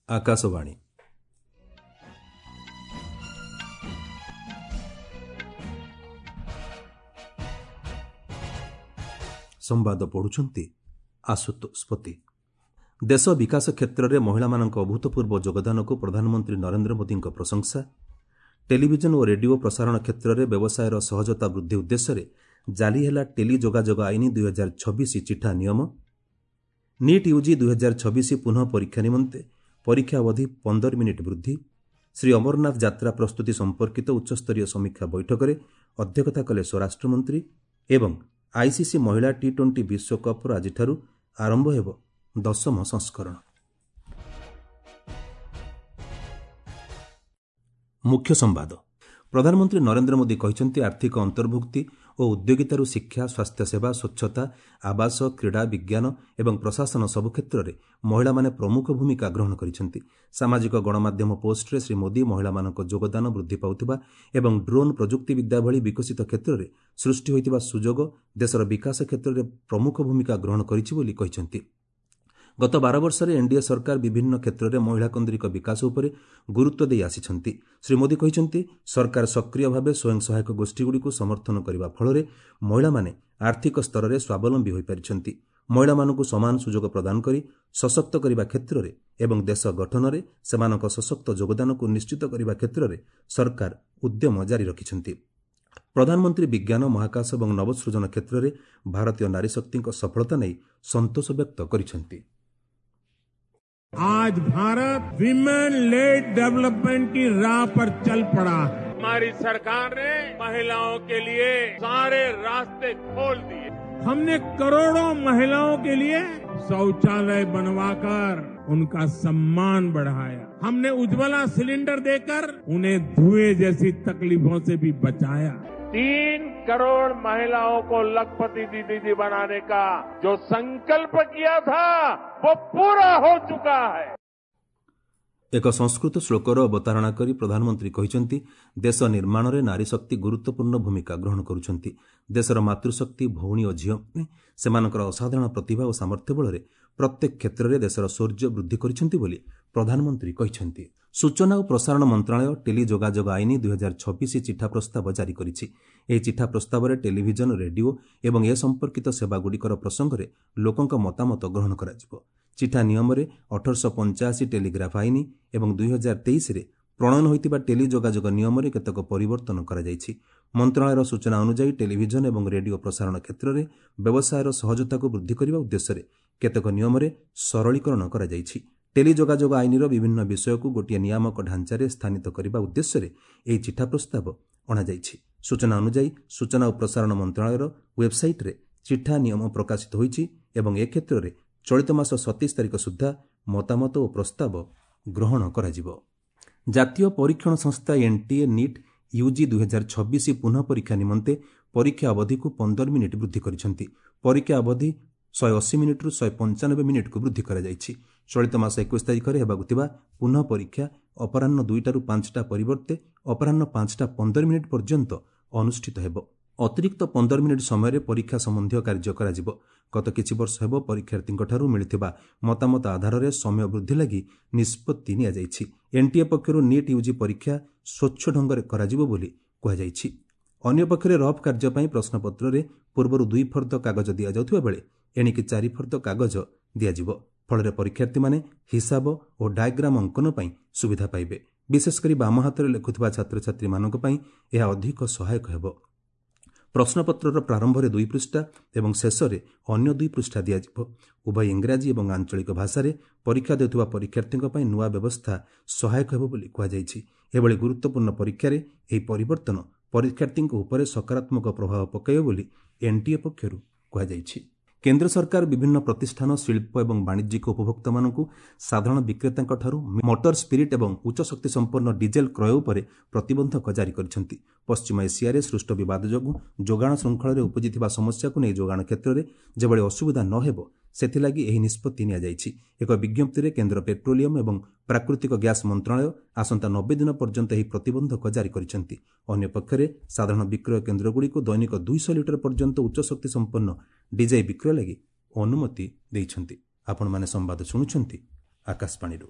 ଆକାଶବାଣୀ। ସମ୍ବାଦ ପଢ଼ୁଛନ୍ତି ଆଶୁତୋଷ ପତି। ଦେଶ ବିକାଶ କ୍ଷେତ୍ରରେ ମହିଳାମାନଙ୍କ ଅଭୂତପୂର୍ବ ଯୋଗଦାନକୁ ପ୍ରଧାନମନ୍ତ୍ରୀ ନରେନ୍ଦ୍ର ମୋଦିଙ୍କ ପ୍ରଶଂସା। ଟେଲିଭିଜନ ଓ ରେଡିଓ ପ୍ରସାରଣ କ୍ଷେତ୍ରରେ ବ୍ୟବସାୟର ସହଜତା ବୃଦ୍ଧି ଉଦ୍ଦେଶ୍ୟରେ ଜାରି ହେଲା ଟେଲି ଯୋଗାଯୋଗ ଆଇନ 2026 ଚିଠା ନିୟମ। ନିଟ୍ ୟୁଜି 2026 ପୁନଃ ପରୀକ୍ଷା ନିମନ୍ତେ ପରୀକ୍ଷା ଅବଧି 15 ମିନିଟ୍ ବୃଦ୍ଧି। ଶ୍ରୀ ଅମରନାଥ ଯାତ୍ରା ପ୍ରସ୍ତୁତି ସମ୍ପର୍କିତ ଉଚ୍ଚସ୍ତରୀୟ ସମୀକ୍ଷା ବୈଠକରେ ଅଧ୍ୟକ୍ଷତା କଲେ ସ୍ୱରାଷ୍ଟ୍ରମନ୍ତ୍ରୀ। ଏବଂ ଆଇସିସି ମହିଳା ଟି-20 ବିଶ୍ୱକପ୍ର ଆଜିଠାରୁ ଆରମ୍ଭ ହେବ 10ମ ସଂସ୍କରଣ। ମୁଖ୍ୟ ସମ୍ବାଦ। ପ୍ରଧାନମନ୍ତ୍ରୀ ନରେନ୍ଦ୍ର ମୋଦି କହିଛନ୍ତି, ଆର୍ଥିକ ଅନ୍ତର୍ଭୁକ୍ତି ଓ ଉଦ୍ୟୋଗିତାରୁ ଶିକ୍ଷା, ସ୍ୱାସ୍ଥ୍ୟସେବା, ସ୍ୱଚ୍ଛତା, ଆବାସ, କ୍ରୀଡ଼ା, ବିଜ୍ଞାନ ଏବଂ ପ୍ରଶାସନ ସବୁ କ୍ଷେତ୍ରରେ ମହିଳାମାନେ ପ୍ରମୁଖ ଭୂମିକା ଗ୍ରହଣ କରିଛନ୍ତି। ସାମାଜିକ ଗଣମାଧ୍ୟମ ପୋଷ୍ଟରେ ଶ୍ରୀ ମୋଦି ମହିଳାମାନଙ୍କ ଯୋଗଦାନ ବୃଦ୍ଧି ପାଉଥିବା ଏବଂ ଡ୍ରୋନ୍ ପ୍ରଯୁକ୍ତିବିଦ୍ୟା ଭଳି ବିକଶିତ କ୍ଷେତ୍ରରେ ସୃଷ୍ଟି ହୋଇଥିବା ସୁଯୋଗ ଦେଶର ବିକାଶ କ୍ଷେତ୍ରରେ ପ୍ରମୁଖ ଭୂମିକା ଗ୍ରହଣ କରିଛି ବୋଲି କହିଛନ୍ତି। ଗତ 12 ବର୍ଷରେ ଏନ୍ଡିଏ ସରକାର ବିଭିନ୍ନ କ୍ଷେତ୍ରରେ ମହିଳାକେନ୍ଦ୍ରିକ ବିକାଶ ଉପରେ ଗୁରୁତ୍ୱ ଦେଇ ଆସିଛନ୍ତି। ଶ୍ରୀ ମୋଦି କହିଛନ୍ତି, ସରକାର ସକ୍ରିୟ ଭାବେ ସ୍ୱୟଂ ସହାୟକ ଗୋଷ୍ଠୀଗୁଡ଼ିକୁ ସମର୍ଥନ କରିବା ଫଳରେ ମହିଳାମାନେ ଆର୍ଥିକ ସ୍ତରରେ ସ୍ୱାବଲମ୍ବୀ ହୋଇପାରିଛନ୍ତି। ମହିଳାମାନଙ୍କୁ ସମାନ ସୁଯୋଗ ପ୍ରଦାନ କରି ସଶକ୍ତ କରିବା କ୍ଷେତ୍ରରେ ଏବଂ ଦେଶ ଗଠନରେ ସେମାନଙ୍କ ସଶକ୍ତ ଯୋଗଦାନକୁ ନିଶ୍ଚିତ କରିବା କ୍ଷେତ୍ରରେ ସରକାର ଉଦ୍ୟମ ଜାରି ରଖିଛନ୍ତି। ପ୍ରଧାନମନ୍ତ୍ରୀ ବିଜ୍ଞାନ, ମହାକାଶ ଏବଂ ନବସୃଜନ କ୍ଷେତ୍ରରେ ଭାରତୀୟ ନାରୀଶକ୍ତିଙ୍କ ସଫଳତା ନେଇ ସନ୍ତୋଷ ବ୍ୟକ୍ତ କରିଛନ୍ତି। आज भारत विमेन लेड डेवलपमेंट की राह पर चल पड़ा है। हमारी सरकार ने महिलाओं के लिए सारे रास्ते खोल दिए। हमने करोड़ों महिलाओं के लिए शौचालय बनवाकर उनका सम्मान बढ़ाया। हमने उज्ज्वला सिलेंडर देकर उन्हें धुएं जैसी तकलीफों से भी बचाया। 3 करोड़ महिलाओं को लखपति दीदी बनाने का जो संकल्प किया था वो पूरा हो चुका है। ଏକ ସଂସ୍କୃତ ଶ୍ଲୋକର ଅବତାରଣା କରି ପ୍ରଧାନମନ୍ତ୍ରୀ କହିଛନ୍ତି, ଦେଶ ନିର୍ମାଣରେ ନାରୀଶକ୍ତି ଗୁରୁତ୍ୱପୂର୍ଣ୍ଣ ଭୂମିକା ଗ୍ରହଣ କରୁଛନ୍ତି। ଦେଶର ମାତୃଶକ୍ତି, ଭଉଣୀ ଓ ଝିଅମାନେ ସେମାନଙ୍କର ଅସାଧାରଣ ପ୍ରତିଭା ଓ ସାମର୍ଥ୍ୟ ବଳରେ ପ୍ରତ୍ୟେକ କ୍ଷେତ୍ରରେ ଦେଶର ଶୌର୍ଯ୍ୟ ବୃଦ୍ଧି କରିଛନ୍ତି ବୋଲି ପ୍ରଧାନମନ୍ତ୍ରୀ କହିଛନ୍ତି। ସୂଚନା ଓ ପ୍ରସାରଣ ମନ୍ତ୍ରଣାଳୟ ଟେଲି ଯୋଗାଯୋଗ ଆଇନ 2026 ଚିଠା ପ୍ରସ୍ତାବ ଜାରି କରିଛି। ଏହି ଚିଠା ପ୍ରସ୍ତାବରେ ଟେଲିଭିଜନ, ରେଡିଓ ଏବଂ ଏ ସମ୍ପର୍କିତ ସେବାଗୁଡ଼ିକର ପ୍ରସଙ୍ଗରେ ଲୋକଙ୍କ ମତାମତ ଗ୍ରହଣ କରାଯିବ। ଚିଠା ନିୟମରେ 1885 ଟେଲିଗ୍ରାଫ ଆଇନ ଏବଂ 2023ରେ ପ୍ରଣୟନ ହୋଇଥିବା ଟେଲି ଯୋଗାଯୋଗ ନିୟମରେ କେତେକ ପରିବର୍ତ୍ତନ କରାଯାଇଛି। ମନ୍ତ୍ରଣାଳୟର ସୂଚନା ଅନୁଯାୟୀ ଟେଲିଭିଜନ ଏବଂ ରେଡିଓ ପ୍ରସାରଣ କ୍ଷେତ୍ରରେ ବ୍ୟବସାୟର ସହଜତାକୁ ବୃଦ୍ଧି କରିବା ଉଦ୍ଦେଶ୍ୟରେ କେତେକ ନିୟମରେ ସରଳୀକରଣ କରାଯାଇଛି। ଟେଲି ଯୋଗାଯୋଗ ଆଇନର ବିଭିନ୍ନ ବିଷୟକୁ ଗୋଟିଏ ନିୟାମକ ଢାଞ୍ଚାରେ ସ୍ଥାନିତ କରିବା ଉଦ୍ଦେଶ୍ୟରେ ଏହି ଚିଠା ପ୍ରସ୍ତାବ ଅଣାଯାଇଛି। ସୂଚନା ଅନୁଯାୟୀ ସୂଚନା ଓ ପ୍ରସାରଣ ମନ୍ତ୍ରଣାଳୟର ୱେବ୍ସାଇଟ୍ରେ ଚିଠା ନିୟମ ପ୍ରକାଶିତ ହୋଇଛି ଏବଂ ଏ କ୍ଷେତ୍ରରେ ଚଳିତ ମାସ 27 ତାରିଖ ସୁଦ୍ଧା ମତାମତ ଓ ପ୍ରସ୍ତାବ ଗ୍ରହଣ କରାଯିବ। ଜାତୀୟ ପରୀକ୍ଷଣ ସଂସ୍ଥା ଏନ୍ଟିଏ ନିଟ୍ ୟୁଜି 2026 ପୁନଃ ପରୀକ୍ଷା ନିମନ୍ତେ ପରୀକ୍ଷା ଅବଧିକୁ 15 ମିନିଟ୍ ବୃଦ୍ଧି କରିଛନ୍ତି। ପରୀକ୍ଷା ଅବଧି 180 ମିନିଟ୍ରୁ 195 ମିନିଟ୍କୁ ବୃଦ୍ଧି କରାଯାଇଛି। ଚଳିତ ମାସ 21 ତାରିଖରେ ହେବାକୁ ଥିବା ପୁନଃ ପରୀକ୍ଷା ଅପରାହ୍ନ 2ଟାରୁ 5ଟା ପରିବର୍ତ୍ତେ ଅପରାହ୍ନ 5ଟା 15 ମିନିଟ୍ ପର୍ଯ୍ୟନ୍ତ ଅନୁଷ୍ଠିତ ହେବ। ଅତିରିକ୍ତ 15 ମିନିଟ୍ ସମୟରେ ପରୀକ୍ଷା ସମ୍ବନ୍ଧୀୟ କାର୍ଯ୍ୟ କରାଯିବ। ଗତ କିଛି ବର୍ଷ ହେବ ପରୀକ୍ଷାର୍ଥୀଙ୍କଠାରୁ ମିଳିଥିବା ମତାମତ ଆଧାରରେ ସମୟ ବୃଦ୍ଧି ଲାଗି ନିଷ୍ପତ୍ତି ନିଆଯାଇଛି। ଏନ୍ଟିଏ ପକ୍ଷରୁ ନିଟ୍ ୟୁଜି ପରୀକ୍ଷା ସ୍ୱଚ୍ଛ ଢଙ୍ଗରେ କରାଯିବ ବୋଲି କୁହାଯାଇଛି। ଅନ୍ୟପକ୍ଷରେ ରଫ୍ କାର୍ଯ୍ୟ ପାଇଁ ପ୍ରଶ୍ନପତ୍ରରେ ପୂର୍ବରୁ 2 ଫର୍ଦ୍ଦ କାଗଜ ଦିଆଯାଉଥିବା ବେଳେ ଏଣିକି 4 ଫର୍ଦ୍ଦ କାଗଜ ଦିଆଯିବ। ଫଳରେ ପରୀକ୍ଷାର୍ଥୀମାନେ ହିସାବ ଓ ଡାଏଗ୍ରାମ ଅଙ୍କନ ପାଇଁ ସୁବିଧା ପାଇବେ। ବିଶେଷକରି ବାମ ହାତରେ ଲେଖୁଥିବା ଛାତ୍ରଛାତ୍ରୀମାନଙ୍କ ପାଇଁ ଏହା ଅଧିକ ସହାୟକ ହେବ। ପ୍ରଶ୍ନପତ୍ରର ପ୍ରାରମ୍ଭରେ 2 ପୃଷ୍ଠା ଏବଂ ଶେଷରେ ଅନ୍ୟ 2 ପୃଷ୍ଠା ଦିଆଯିବ। ଉଭୟ ଇଂରାଜୀ ଏବଂ ଆଞ୍ଚଳିକ ଭାଷାରେ ପରୀକ୍ଷା ଦେଉଥିବା ପରୀକ୍ଷାର୍ଥୀଙ୍କ ପାଇଁ ନୂଆ ବ୍ୟବସ୍ଥା ସହାୟକ ହେବ ବୋଲି କୁହାଯାଇଛି। ଏଭଳି ଗୁରୁତ୍ୱପୂର୍ଣ୍ଣ ପରୀକ୍ଷାରେ ଏହି ପରିବର୍ତ୍ତନ ପରୀକ୍ଷାର୍ଥୀଙ୍କ ଉପରେ ସକାରାତ୍ମକ ପ୍ରଭାବ ପକାଇବ ବୋଲି ଏନ୍ଟିଏ ପକ୍ଷରୁ କୁହାଯାଇଛି। କେନ୍ଦ୍ର ସରକାର ବିଭିନ୍ନ ପ୍ରତିଷ୍ଠାନ, ଶିଳ୍ପ ଏବଂ ବାଣିଜ୍ୟିକ ଉପଭୋକ୍ତାମାନଙ୍କୁ ସାଧାରଣ ବିକ୍ରେତାଙ୍କଠାରୁ ମଟର ସ୍ପିରିଟ୍ ଏବଂ ଉଚ୍ଚ ଶକ୍ତିସମ୍ପନ୍ନ ଡିଜେଲ କ୍ରୟ ଉପରେ ପ୍ରତିବନ୍ଧକ ଜାରି କରିଛନ୍ତି। ପଶ୍ଚିମ ଏସିଆରେ ସୃଷ୍ଟ ବିବାଦ ଯୋଗୁଁ ଯୋଗାଣ ଶୃଙ୍ଖଳରେ ଉପୁଜିଥିବା ସମସ୍ୟାକୁ ନେଇ ଯୋଗାଣ କ୍ଷେତ୍ରରେ ଯେଭଳି ଅସୁବିଧା ନ ହେବ ସେଥିଲାଗି ଏହି ନିଷ୍ପତ୍ତି ନିଆଯାଇଛି। ଏକ ବିଜ୍ଞପ୍ତିରେ କେନ୍ଦ୍ର ପେଟ୍ରୋଲିୟମ ଏବଂ ପ୍ରାକୃତିକ ଗ୍ୟାସ୍ ମନ୍ତ୍ରଣାଳୟ ଆସନ୍ତା 90 ଦିନ ପର୍ଯ୍ୟନ୍ତ ଏହି ପ୍ରତିବନ୍ଧକ ଜାରି କରିଛନ୍ତି। ଅନ୍ୟପକ୍ଷରେ ସାଧାରଣ ବିକ୍ରୟ କେନ୍ଦ୍ରଗୁଡ଼ିକୁ ଦୈନିକ 200 ଲିଟର ପର୍ଯ୍ୟନ୍ତ ଉଚ୍ଚ ଶକ୍ତି ସମ୍ପନ୍ନ ଡିଜେଲ ବିକ୍ରୟ ଲାଗି ଅନୁମତି ଦେଇଛନ୍ତି। ଆପଣମାନେ ସମ୍ବାଦ ଶୁଣୁଛନ୍ତି ଆକାଶବାଣୀରୁ।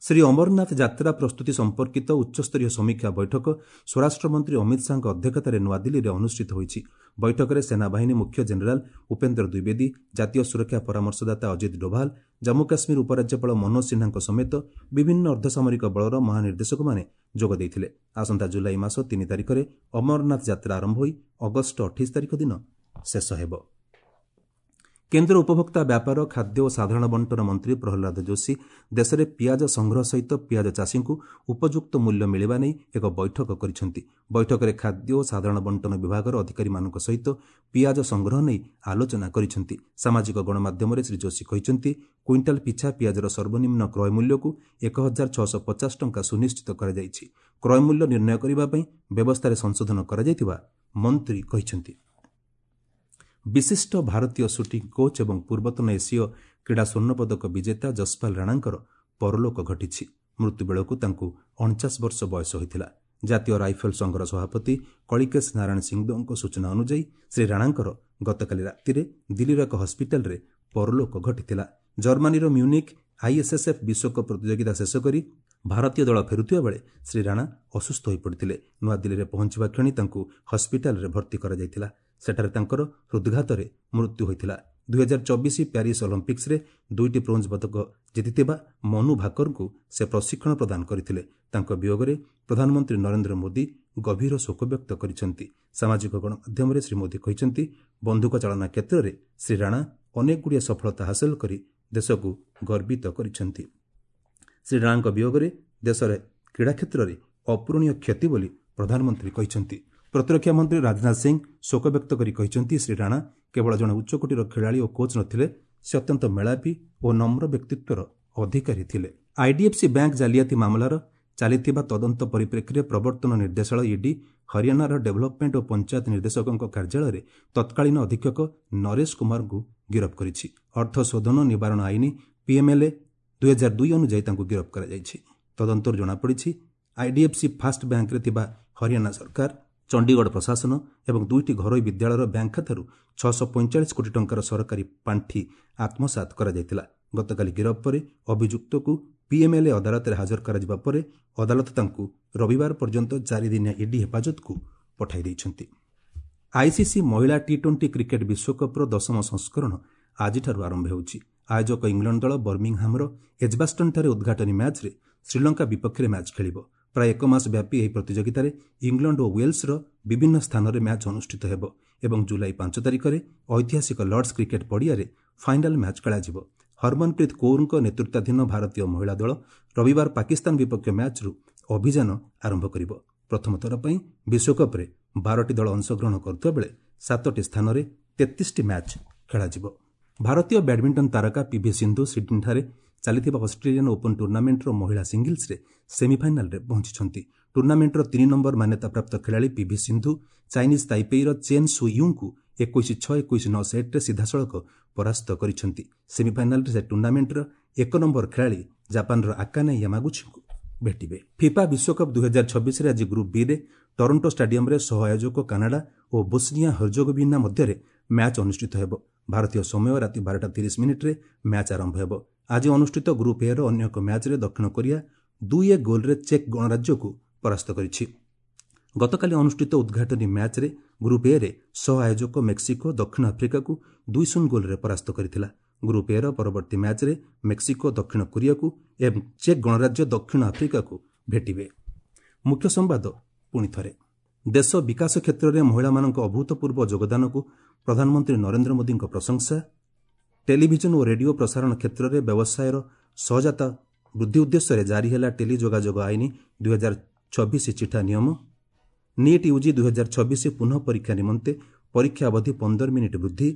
ଶ୍ରୀ ଅମରନାଥ ଯାତ୍ରା ପ୍ରସ୍ତୁତି ସମ୍ପର୍କିତ ଉଚ୍ଚସ୍ତରୀୟ ସମୀକ୍ଷା ବୈଠକ ସ୍ୱରାଷ୍ଟ୍ରମନ୍ତ୍ରୀ ଅମିତ ଶାହାଙ୍କ ଅଧ୍ୟକ୍ଷତାରେ ନୂଆଦିଲ୍ଲୀରେ ଅନୁଷ୍ଠିତ ହୋଇଛି। ବୈଠକରେ ସେନାବାହିନୀ ମୁଖ୍ୟ ଜେନେରାଲ ଉପେନ୍ଦ୍ର ଦ୍ୱିବେଦୀ, ଜାତୀୟ ସୁରକ୍ଷା ପରାମର୍ଶଦାତା ଅଜିତ ଡୋଭାଲ, ଜାମ୍ମୁ କାଶ୍ମୀର ଉପରାଜ୍ୟପାଳ ମନୋଜ ସିହ୍ନାଙ୍କ ସମେତ ବିଭିନ୍ନ ଅର୍ଦ୍ଧସାମରିକ ବଳର ମହାନିର୍ଦ୍ଦେଶକମାନେ ଯୋଗ ଦେଇଥିଲେ। ଆସନ୍ତା ଜୁଲାଇ ମାସ 3 ତାରିଖରେ ଅମରନାଥ ଯାତ୍ରା ଆରମ୍ଭ ହୋଇ ଅଗଷ୍ଟ 28 ତାରିଖ ଦିନ ଶେଷ ହେବ। କେନ୍ଦ୍ର ଉପଭୋକ୍ତା ବ୍ୟାପାର, ଖାଦ୍ୟ ଓ ସାଧାରଣ ବଣ୍ଟନ ମନ୍ତ୍ରୀ ପ୍ରହ୍ଲାଦ ଯୋଶୀ ଦେଶରେ ପିଆଜ ସଂଗ୍ରହ ସହିତ ପିଆଜ ଚାଷୀଙ୍କୁ ଉପଯୁକ୍ତ ମୂଲ୍ୟ ମିଳିବା ନେଇ ଏକ ବୈଠକ କରିଛନ୍ତି। ବୈଠକରେ ଖାଦ୍ୟ ଓ ସାଧାରଣ ବଣ୍ଟନ ବିଭାଗର ଅଧିକାରୀମାନଙ୍କ ସହିତ ପିଆଜ ସଂଗ୍ରହ ନେଇ ଆଲୋଚନା କରିଛନ୍ତି। ସାମାଜିକ ଗଣମାଧ୍ୟମରେ ଶ୍ରୀ ଯୋଶୀ କହିଛନ୍ତି, କୁଇଣ୍ଟାଲ ପିଛା ପିଆଜର ସର୍ବନିମ୍ନ କ୍ରୟ ମୂଲ୍ୟକୁ 1650 ଟଙ୍କା ସୁନିଶ୍ଚିତ କରାଯାଇଛି। କ୍ରୟ ମୂଲ୍ୟ ନିର୍ଣ୍ଣୟ କରିବା ପାଇଁ ବ୍ୟବସ୍ଥାରେ ସଂଶୋଧନ କରାଯାଇଥିବା ମନ୍ତ୍ରୀ କହିଛନ୍ତି। ବିଶିଷ୍ଟ ଭାରତୀୟ ସୁଟିଂ କୋଚ୍ ଏବଂ ପୂର୍ବତନ ଏସୀୟ କ୍ରୀଡ଼ା ସ୍ୱର୍ଣ୍ଣପଦକ ବିଜେତା ଯଶପାଲ ରାଣାଙ୍କର ପରଲୋକ ଘଟିଛି। ମୃତ୍ୟୁବେଳକୁ ତାଙ୍କୁ 49 ବର୍ଷ ବୟସ ହୋଇଥିଲା। ଜାତୀୟ ରାଇଫଲ ସଂଘର ସଭାପତି କଳିକେଶ ନାରାୟଣ ସିଂଦେଓଙ୍କ ସୂଚନା ଅନୁଯାୟୀ ଶ୍ରୀ ରାଣାଙ୍କର ଗତକାଲି ରାତିରେ ଦିଲ୍ଲୀର ଏକ ହସ୍ପିଟାଲରେ ପରଲୋକ ଘଟିଥିଲା। ଜର୍ମାନୀର ମ୍ୟୁନିକ୍ ଆଇଏସ୍ଏସ୍ଏଫ୍ ବିଶ୍ୱକପ୍ ପ୍ରତିଯୋଗିତା ଶେଷ କରି ଭାରତୀୟ ଦଳ ଫେରୁଥିବା ବେଳେ ଶ୍ରୀ ରାଣା ଅସୁସ୍ଥ ହୋଇପଡ଼ିଥିଲେ। ନୂଆଦିଲ୍ଲୀରେ ପହଞ୍ଚିବା କ୍ଷଣି ତାଙ୍କୁ ହସ୍ପିଟାଲରେ ଭର୍ତ୍ତି କରାଯାଇଥିଲା। ସେଠାରେ ତାଙ୍କର ହୃଦ୍ଘାତରେ ମୃତ୍ୟୁ ହୋଇଥିଲା। 2024 ପ୍ୟାରିସ୍ ଅଲିମ୍ପିକ୍ସରେ 2ଟି ବ୍ରୋଞ୍ଜ ପଦକ ଜିତିଥିବା ମନୁ ଭାକରଙ୍କୁ ସେ ପ୍ରଶିକ୍ଷଣ ପ୍ରଦାନ କରିଥିଲେ। ତାଙ୍କ ବିୟୋଗରେ ପ୍ରଧାନମନ୍ତ୍ରୀ ନରେନ୍ଦ୍ର ମୋଦି ଗଭୀର ଶୋକ ବ୍ୟକ୍ତ କରିଛନ୍ତି। ସାମାଜିକ ଗଣମାଧ୍ୟମରେ ଶ୍ରୀ ମୋଦି କହିଛନ୍ତି, ବନ୍ଧୁକ ଚାଳନା କ୍ଷେତ୍ରରେ ଶ୍ରୀ ରାଣା ଅନେକଗୁଡ଼ିଏ ସଫଳତା ହାସଲ କରି ଦେଶକୁ ଗର୍ବିତ କରିଛନ୍ତି। ଶ୍ରୀ ରାଣାଙ୍କ ବିୟୋଗରେ ଦେଶରେ କ୍ରୀଡ଼ା କ୍ଷେତ୍ରରେ ଅପୂରଣୀୟ କ୍ଷତି ବୋଲି ପ୍ରଧାନମନ୍ତ୍ରୀ କହିଛନ୍ତି। ପ୍ରତିରକ୍ଷା ମନ୍ତ୍ରୀ ରାଜନାଥ ସିଂ ଶୋକ ବ୍ୟକ୍ତ କରି କହିଛନ୍ତି, ଶ୍ରୀ ରାଣା କେବଳ ଜଣେ ଉଚ୍ଚକୋଟୀର ଖେଳାଳି ଓ କୋଚ୍ ନଥିଲେ, ସେ ଅତ୍ୟନ୍ତ ମେଳାପୀ ଓ ନମ୍ର ବ୍ୟକ୍ତିତ୍ୱର ଅଧିକାରୀ ଥିଲେ। ଆଇଡିଏଫ୍ସି ବ୍ୟାଙ୍କ ଜାଲିଆତି ମାମଲାର ଚାଲିଥିବା ତଦନ୍ତ ପରିପ୍ରେକ୍ଷୀରେ ପ୍ରବର୍ତ୍ତନ ନିର୍ଦ୍ଦେଶାଳୟ ଇଡି ହରିୟାଣାର ଡେଭଲପମେଣ୍ଟ ଓ ପଞ୍ଚାୟତ ନିର୍ଦ୍ଦେଶକଙ୍କ କାର୍ଯ୍ୟାଳୟରେ ତତ୍କାଳୀନ ଅଧୀକ୍ଷକ ନରେଶ କୁମାରଙ୍କୁ ଗିରଫ କରିଛି। ଅର୍ଥ ଶୋଧନ ନିବାରଣ ଆଇନ ପିଏମ୍ଏଲ୍ଏ 2002 ଅନୁଯାୟୀ ତାଙ୍କୁ ଗିରଫ କରାଯାଇଛି। ତଦନ୍ତରୁ ଜଣାପଡ଼ିଛି, ଆଇଡିଏଫ୍ସି ଫାଷ୍ଟ ବ୍ୟାଙ୍କରେ ଥିବା ହରିୟାଣା ସରକାର, ଚଣ୍ଡିଗଡ଼ ପ୍ରଶାସନ ଏବଂ 2ଟି ଘରୋଇ ବିଦ୍ୟାଳୟର ବ୍ୟାଙ୍କ ଖାତାରୁ 645 କୋଟି ଟଙ୍କାର ସରକାରୀ ପାଣ୍ଠି ଆତ୍ମସାତ କରାଯାଇଥିଲା। ଗତକାଲି ଗିରଫ ପରେ ଅଭିଯୁକ୍ତକୁ ପିଏମ୍ଏଲ୍ଏ ଅଦାଲତରେ ହାଜର କରାଯିବା ପରେ ଅଦାଲତ ତାଙ୍କୁ ରବିବାର ପର୍ଯ୍ୟନ୍ତ 4 ଦିନିଆ ଇଡି ହେଫାଜତକୁ ପଠାଇ ଦେଇଛନ୍ତି। ଆଇସିସି ମହିଳା ଟି-20 କ୍ରିକେଟ୍ ବିଶ୍ୱକପ୍ର 10ମ ସଂସ୍କରଣ ଆଜିଠାରୁ ଆରମ୍ଭ ହେଉଛି। ଆୟୋଜକ ଇଂଲଣ୍ଡ ଦଳ ବର୍ମିଂହାମର ଏଜବାଷ୍ଟନଠାରେ ଉଦ୍ଘାଟନୀ ମ୍ୟାଚ୍ରେ ଶ୍ରୀଲଙ୍କା ବିପକ୍ଷରେ ମ୍ୟାଚ୍ ଖେଳିବ। ପ୍ରାୟ 1 ମାସ ବ୍ୟାପୀ ଏହି ପ୍ରତିଯୋଗିତାରେ ଇଂଲଣ୍ଡ ଓ ୱେଲ୍ସର ବିଭିନ୍ନ ସ୍ଥାନରେ ମ୍ୟାଚ୍ ଅନୁଷ୍ଠିତ ହେବ ଏବଂ ଜୁଲାଇ 5 ତାରିଖରେ ଐତିହାସିକ ଲର୍ଡସ୍ କ୍ରିକେଟ୍ ପଡ଼ିଆରେ ଫାଇନାଲ୍ ମ୍ୟାଚ୍ ଖେଳାଯିବ। ହରମନପ୍ରୀତ କୌରଙ୍କ ନେତୃତ୍ୱାଧୀନ ଭାରତୀୟ ମହିଳା ଦଳ ରବିବାର ପାକିସ୍ତାନ ବିପକ୍ଷ ମ୍ୟାଚ୍ରୁ ଅଭିଯାନ ଆରମ୍ଭ କରିବ। ପ୍ରଥମ ଥର ପାଇଁ ବିଶ୍ୱକପ୍ରେ 12ଟି ଦଳ ଅଂଶଗ୍ରହଣ କରୁଥିବା ବେଳେ 7ଟି ସ୍ଥାନରେ 33ଟି ମ୍ୟାଚ୍ ଖେଳାଯିବ। ଭାରତୀୟ ବ୍ୟାଡମିଣ୍ଟନ ତାରକା ପିଭି ସିନ୍ଧୁ ସିଡ୍ନୀଠାରେ ଚାଲିଥିବା ଅଷ୍ଟ୍ରେଲିଆନ୍ ଓପନ୍ ଟୁର୍ଣ୍ଣାମେଣ୍ଟର ମହିଳା ସିଙ୍ଗଲ୍ସରେ ସେମିଫାଇନାଲରେ ପହଞ୍ଚିଛନ୍ତି। ଟୁର୍ଣ୍ଣାମେଣ୍ଟର 3 ନମ୍ବର ମାନ୍ୟତାପ୍ରାପ୍ତ ଖେଳାଳି ପିଭି ସିନ୍ଧୁ ଚାଇନିଜ୍ ତାଇପେଇର ଚେନ୍ ସୁ ୟୁଙ୍କୁ 21-6, 21-9 ସେଟ୍ରେ ସିଧାସଳଖ ପରାସ୍ତ କରିଛନ୍ତି। ସେମିଫାଇନାଲରେ ସେ ଟୁର୍ଣ୍ଣାମେଣ୍ଟର 1 ନମ୍ବର ଖେଳାଳି ଜାପାନର ଆକାନେ ୟାମାଗୁଚିଙ୍କୁ ଭେଟିବେ। ଫିଫା ବିଶ୍ୱକପ୍ 2026ରେ ଆଜି ଗ୍ରୁପ୍ ବିରେ ଟରଣ୍ଟୋ ଷ୍ଟାଡିୟମରେ ସହ ଆୟୋଜକ କାନାଡା ଓ ବୋସ୍ନିଆ ହର୍ଜୋଗୋଭିନା ମଧ୍ୟରେ ମ୍ୟାଚ୍ ଅନୁଷ୍ଠିତ ହେବ। ଭାରତୀୟ ସମୟ ରାତି 12:30 ମ୍ୟାଚ୍ ଆରମ୍ଭ ହେବ। ଆଜି ଅନୁଷ୍ଠିତ ଗ୍ରୁପ୍ ଏର ଅନ୍ୟ ଏକ ମ୍ୟାଚ୍ରେ ଦକ୍ଷିଣ କୋରିଆ 2-1 ଗୋଲ୍ରେ ଚେକ୍ ଗଣରାଜ୍ୟକୁ ପରାସ୍ତ କରିଛି। ଗତକାଲି ଅନୁଷ୍ଠିତ ଉଦ୍ଘାଟନୀ ମ୍ୟାଚ୍ରେ ଗ୍ରୁପ୍ ଏରେ ସହ ଆୟୋଜକ ମେକ୍ସିକୋ ଦକ୍ଷିଣ ଆଫ୍ରିକାକୁ 2-0 ଗୋଲ୍ରେ ପରାସ୍ତ କରିଥିଲା। ଗ୍ରୁପ୍ ଏର ପରବର୍ତ୍ତୀ ମ୍ୟାଚ୍ରେ ମେକ୍ସିକୋ ଦକ୍ଷିଣ କୋରିଆକୁ ଏବଂ ଚେକ୍ ଗଣରାଜ୍ୟ ଦକ୍ଷିଣ ଆଫ୍ରିକାକୁ ଭେଟିବେ। ମୁଖ୍ୟ ସମ୍ବାଦ ପୁଣି ଥରେ, ଦେଶ ବିକାଶ କ୍ଷେତ୍ରରେ ମହିଳାମାନଙ୍କ ଅଭୂତପୂର୍ବ ଯୋଗଦାନକୁ ପ୍ରଧାନମନ୍ତ୍ରୀ ନରେନ୍ଦ୍ର ମୋଦିଙ୍କ ପ୍ରଶଂସା। ଟେଲିଭିଜନ ଓ ରେଡିଓ ପ୍ରସାରଣ କ୍ଷେତ୍ରରେ ବ୍ୟବସାୟର ସହଜାତ ବୃଦ୍ଧି ଉଦ୍ଦେଶ୍ୟରେ ଜାରି ହେଲା ଟେଲି ଯୋଗାଯୋଗ ଆଇନ 2026 ଚିଠା ନିୟମ। ନିଟ୍ ୟୁଜି 2026 ପୁନଃ ପରୀକ୍ଷା ନିମନ୍ତେ ପରୀକ୍ଷା ଅବଧି 15 ମିନିଟ୍ ବୃଦ୍ଧି।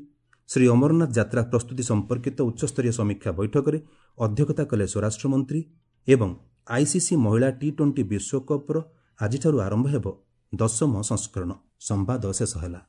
ଶ୍ରୀ ଅମରନାଥ ଯାତ୍ରା ପ୍ରସ୍ତୁତି ସମ୍ପର୍କିତ ଉଚ୍ଚସ୍ତରୀୟ ସମୀକ୍ଷା ବୈଠକରେ ଅଧ୍ୟକ୍ଷତା କଲେ ସ୍ୱରାଷ୍ଟ୍ରମନ୍ତ୍ରୀ। ଏବଂ ଆଇସିସି ମହିଳା ଟି-20 ବିଶ୍ୱକପ୍ର ଆଜିଠାରୁ ଆରମ୍ଭ ହେବ 10ମ ସଂସ୍କରଣ। ସମ୍ବାଦ ଶେଷ ହେଲା।